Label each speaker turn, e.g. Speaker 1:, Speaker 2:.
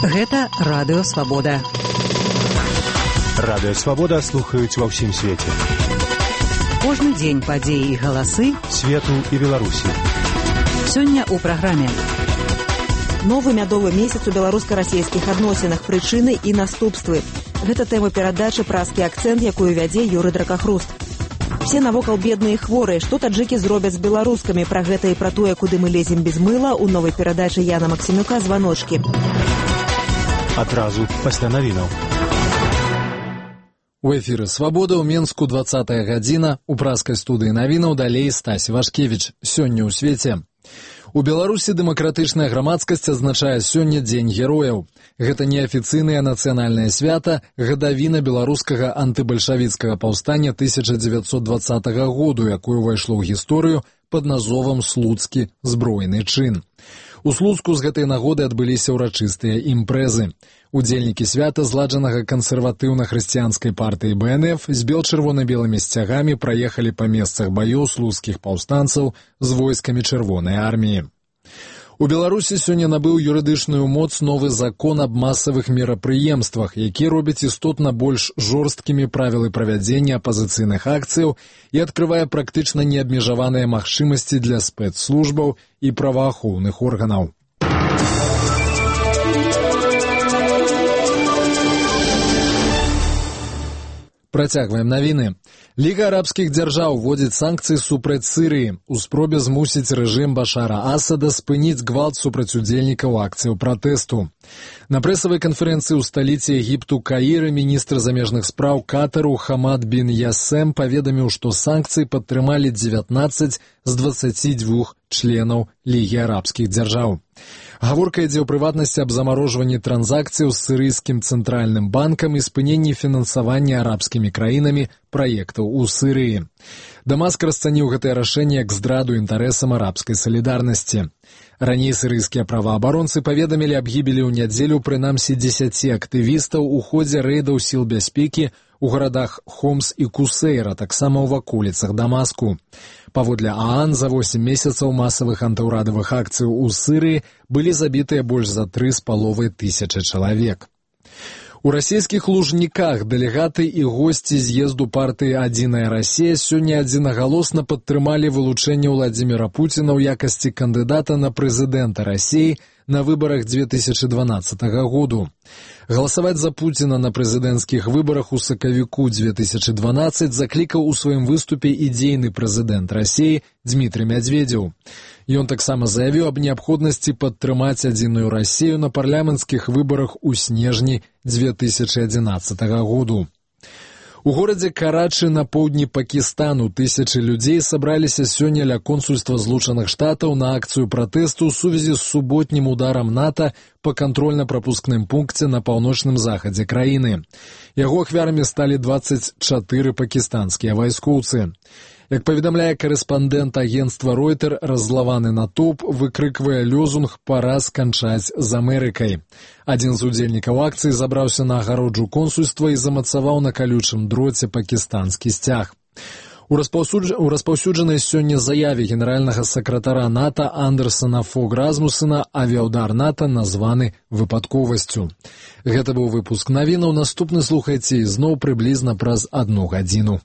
Speaker 1: Гэта Радыё Свабода.
Speaker 2: Радыё Свабода слухаюць ва ўсім свеце.
Speaker 1: Кожны дзень падзеі і галасы
Speaker 2: свету і Беларусі.
Speaker 1: Сёння ў праграме.
Speaker 3: Новы мядовы месяц у беларуска-расійскіх адносінах, прычыны і наступствы. Гэта тэма перадачы «Празкі акцэнт», якую вядзе Юрый Дракахруст. Все навокал бедныя і хворыя. Што таджыкі зробяць з беларускамі? Пра гэта і пра тое, куды мы лезем без мыла, у новай перадачы Яна Максімюка «Званочкі».
Speaker 2: Адразу пасля навінаў.
Speaker 4: У эфіры «Свабода» ў Менску 20-я гадзіна. У празкай студыі навінаў далей Стась Вашкевіч. Сёння ў свеце. У Беларусі дэмакратычная грамадскасць адзначае сёння Дзень герояў. Гэта неафіцыйнае нацыянальнае свята, гадавіна беларускага антыбальшавіцкага паўстання 1920 году, якое ўвайшло ў гісторыю пад назовам «Слуцкі збройны чын». У Слуцку з гэтай нагоды адбыліся ўрачыстыя імпрэзы. Удзельнікі свята зладжанага кансерватыўна-хрысціянскай партыі БНФ з бел-чырвона-белымі сцягамі праехалі па месцах баёў слуцкіх паўстанцаў з войскамі Чырвонай арміі. У Беларусі сёння набыў юрыдычную моц новы закон аб масавых мерапрыемствах, які робіць істотна больш жорсткімі правілы правядзення апазіцыйных акцыяў і адкрывае практычна неабмежаваныя магчымасці для спецслужбаў і праваахоўных органаў. Працягваем навіны. Ліга арабскіх дзяржаў вводзіць санкцыі супраць Сірыі у спробе змусіць рэжым Башара Асада спыніць гвалт супраць удзельнікаў акцыяў пратэсту. На прэсавай канферэнцыі ў сталіцы Егіпту Каіры міністр замежных спраў Катару Хамад бін Ясем паведаміў, што санкцыі падтрымалі 19 з 22 членаў Лігі арабскіх дзяржаў. Гаворка ідзе ў прыватнасці аб замарожванні транзакцыяў з сірыйскім цэнтральным банкам і спыненні фінансавання арабскімі краінамі праектаў у Сірыі. Дамаск расцаніў гэтае рашэнне як здраду інтарэсам арабскай салідарнасці. Раней сірыйскія праваабаронцы паведамілі аб гібелі ў нядзелю прынамсі 10 актывістаў у ходзе рэйдаў сіл бяспекі у гарадах Хомс і Кусейра, таксама ў ваколіцах Дамаску. Паводле ААН, за 8 месяцаў масавых антыўрадавых акцыяў у Сірыі былі забітыя больш за 3,5 тысячы чалавек. У расійскіх Лужніках дэлегаты і госці з'езду партыі «Адзіная Расія» сёння адзінагалосна падтрымалі вылучэнне Владзіміра Пуціна ў якасці кандыдата на прэзідэнта Расіі на выбарах 2012 году. Галасаваць за Пуціна на прэзідэнцкіх выбарах у сакавіку 2012 заклікаў у сваім выступе ідзейны прэзідэнт Расіі Дмітрый Мядзведзеў. Ён таксама заявіў аб неабходнасці падтрымаць «Адзіную Расію» на парламенцкіх выбарах у снежні 2011 году. У горадзе Карачы на поўдні Пакістану тысячы людзей сабраліся сёння ля консульства Злучаных Штатаў на акцыю пратэсту ў сувязі з суботнім ударам НАТО па кантрольна-прапускным пункце на паўночным захадзе краіны. Яго ахвярамі сталі 24 пакістанскія вайскоўцы. Як паведамляе корэспандэнт агенцтва Ройтер, раззлаваны натоўп выкрыквае лёзунг «Пара сканчаць з Амерыкай». Адзін з удзельнікаў акцыі забраўся на агароджу консульства і замацаваў на калючым дроце пакістанскі сцяг. У распаўсюджанай сёння заяве генеральнага сакратара НАТО Андерсана Фог Расмусена авіаўдар НАТО названы выпадковасцю. Гэта быў выпуск навінаў. Наступны слухайце ізноў прыблізна праз 1 гадзіну.